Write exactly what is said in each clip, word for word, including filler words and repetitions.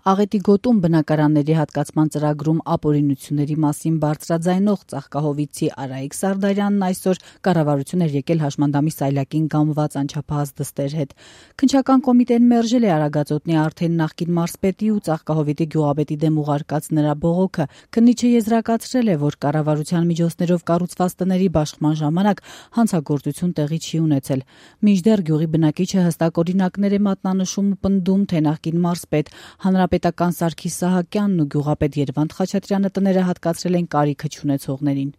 Աղետի գոտում բնակարանների հատկացման ծրագրում ապօրինությունների մասին բարձրաձայնող ծաղկահովիցի Արայիկ Սարդարյանն այսօր կառավարություն էր եկել հաշմանդամի սայլակին գամված անչափահաս դստեր հետ։ Քննչական կոմիտեն մերժել է Արագածոտնի արդեն նախկին մարզպետի ու ծաղկահովիտի գյուղապետի դեմ ուղարկած նրա բողոքը։ Քննիչը եզրակացրել է, որ կառավարության միջոցներով կառուցված տների բաշխման ժամանակ հանցագործություն տեղի չի ունեցել։ Մինչդեռ գյուղի բնակիչը հստակ օրինակներ է մատնանշում ու պնդում, թե նախկին մարզպետ Հանրապետական Սարգիս Սահակյանն ու գյուղապետ Երվանդ Խաչատրյանը տները հատկացրել են կարիքը չունեցողներին։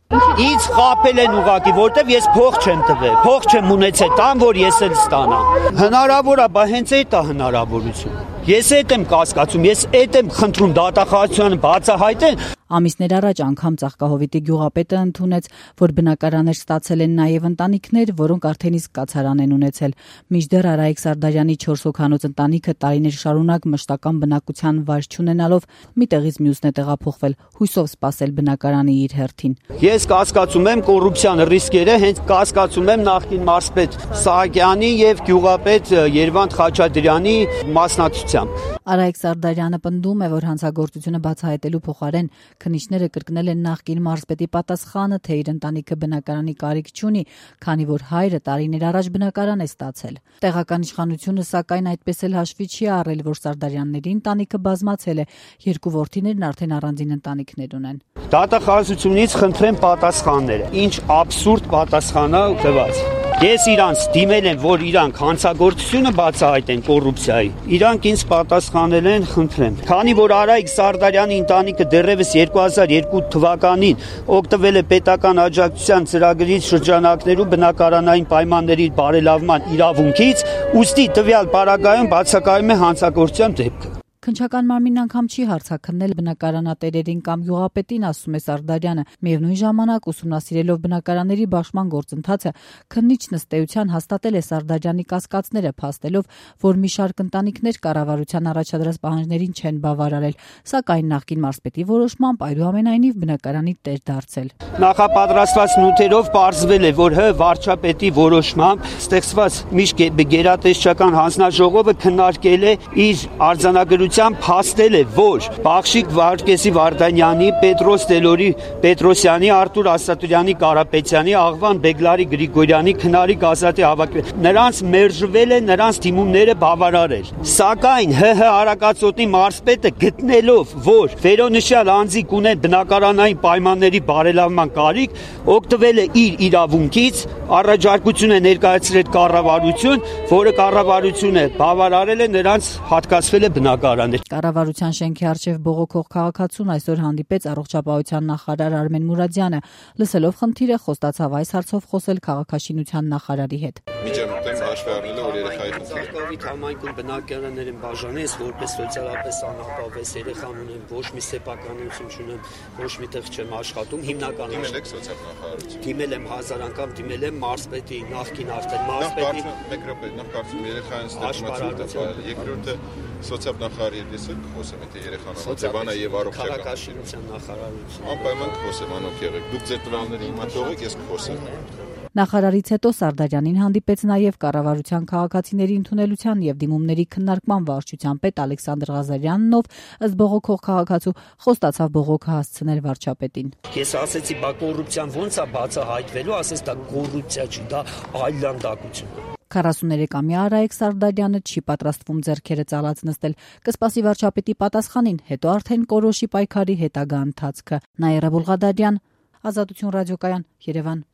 Ինձ խաբել են ուղղակի, որտեվ ես փող չեմ տվել, փող չեմ ունեցել, տան որ ես էլ ստանամ։ Հնարավոր է, բայց հենց այդ է հնարավորություն։ Ես այդ եմ կասկածում, ես այդ եմ խնդրում դատախազությունը բացահայտեն։ Ամիսներ առաջ անգամ ծաղկահովիտի գյուղապետը ընդունեց, որ բնակարաններ ստացել են նաև ընտանիքներ, որոնք արդեն իսկ կացարան են ունեցել։ Մինչդեռ Արայիկ Սարդարյանի չորս հոգանոց ընտանիքը տարիներ շարունակ մշտական բնակության վայր չունենալով մի տեղից մյուսն է տեղափոխվել, հույսով սպասել բնակարանի իր հերթին։ Ես կասկածում եմ կոռուպցիան ռիսկերը, հենց կասկածում եմ նախկին մարզպետ Սահակյանի եւ գյուղապետ Երվանդ Խաչատրյանի մասնակցությամբ։ Արայիկ Սարդարյանը պնդում է, որ հանցագործությունը բացահայտելու փոխարեն քննիչները կրկնել են նախկին մարզպետի պատասխանը, թե իր ընտանիքը բնակարանի կարիք չունի, քանի որ հայրը տարիներ առաջ բնակարան է ստացել։ Տեղական իշխանությունը սակայն այդպես էլ հաշվի չի առել, որ Սարդարյանների ընտանիքը բազմացել է, երկու որդիներն արդեն առանձին ընտանիքներ ունեն։ Դատախազությունից խնդրեմ պատասխանները։ Ինչ աբսուրդ պատասխան է տված։ Ես իրանց դիմել եմ, որ իրանք հանցագործությունը բացահայտեն կոռուպցիայի։ Իրանք ինձ պատասխանել են, խնդրեմ։ Քանի որ Արայիկ Սարդարյանի ընտանիքը դեռևս երկու հազար երկու թվականին օգտվել է պետական աջակցության ծրագրից շրջանակներու բնակարանային պայմանների բարելավման իրավունքից, ուստի տվյալ պարագայում բացակայում է հանցագործության դեպքը։ Քննչական մարմինն անգամ չի հարցաքննել բնակարանատերերին կամ գյուղապետին, ասում է Սարդարյանը։ Միևնույն ժամանակ ուսումնասիրելով բնակարանների բաշխման գործընթացը, քննիչն ըստ էության հաստատել է Սարդարյանի կասկածները, փաստելով, որ մի շարք ընտանիքներ կառավարության առաջադրած պահանջներին չեն բավարարել, սակայն նախկին մարզպետի որոշմամբ այդուամենայնիվ բնակարանի տեր դարձել։ Նախապատրաստված նյութերով պարզվել է, որ հ վարչապետի որոշմամբ ստեղծված միշտ գերատեսչական հանձնաժողովը քննարկել է իր արձանագրության փաստել է, որ Բախշիկ Վարդգեսի Վարդանյանի, Պետրոս Տելորի Պետրոսյանի, Արտուր Ասատուրյանի Կարապետյանի, Աղվան Բեգլարի Գրիգորյանի, Քնարի Գազատի հավաքվել։ Նրանց մերժվել է նրանց դիմումները բավարարել։ Սակայն ՀՀ Արագածոտնի մարզպետը գտնելով, որ վերոնշյալ անձիկ ունեն բնակարանային պայմանների բարելավման կարիք, օգտվել է իր իրավունքից, առաջարկություն է ներկայացրել կառավարություն, որը կառավարությունը բավարարել է, նրանց հատկացվել է բնակարան։ Կառավարության շենքի առջև բողոքող քաղաքացուն այսօր հանդիպեց առողջապահության նախարար Արմեն Մուրադյանը։ Լսելով խնդիրը, խոստացավ այս հարցով խոսել քաղաքաշինության նախարարի հետ։ Միջամտեմ հաշվի առնելը, որ երեխայի Ծաղկավիթ համայնքում բնակարաններ են բաժանես, որպես սոցիալապես անապահովես երեխան ունեմ, ոչ մի սեփականություն չունեմ, ոչ միտեղ չեմ աշխատում, հիմնականում դիմել եք սոցիալ-նախարարություն։ Դիմել եմ հազար անգամ, դիմել եմ մարզպետի, նախկին արդեն մարզպետի։ Մեկ րոպե, նախ կարծում երեխային ստեղծման երկրորդը սոցիալ-նախարարի հետ ես խոսեմ, եթե երեխան հոգեբան է եւ առողջական քաղաքաշինության նախարարություն։ Անպայման կխոսեմ, անօք եղեք։ Դուք ձեր տվյալները հիմա թողեք, ես կխոսեմ։ Նախարարից հետո Սարդարյանին հանդիպեց նաև կառավարության քաղաքացիների ընդունելության եւ դիմումների քննարկման վարչության պետ Ալեքսանդր Ղազարյանն, ով ըստ բողոքող քաղաքացու խոստացավ բողոքը հասցնել վարչապետին։ Ես ասեցի, բա կոռուպցիան ո՞նց է բացահայտվելու, ասես դա կոռուպցիա չի, դա այլանդակություն է։ քառասուներեքամյա Արայիկ Սարդարյանը չի պատրաստվում ձեռքերը ծալած նստել, կսպասի վարչապետի պատասխանին, հետո արդեն կորոշի պայքարի հետագա ընթացքը։ Նաիրա Բուլղադարյան, Ազատություն ռադիոկայան, Երևան։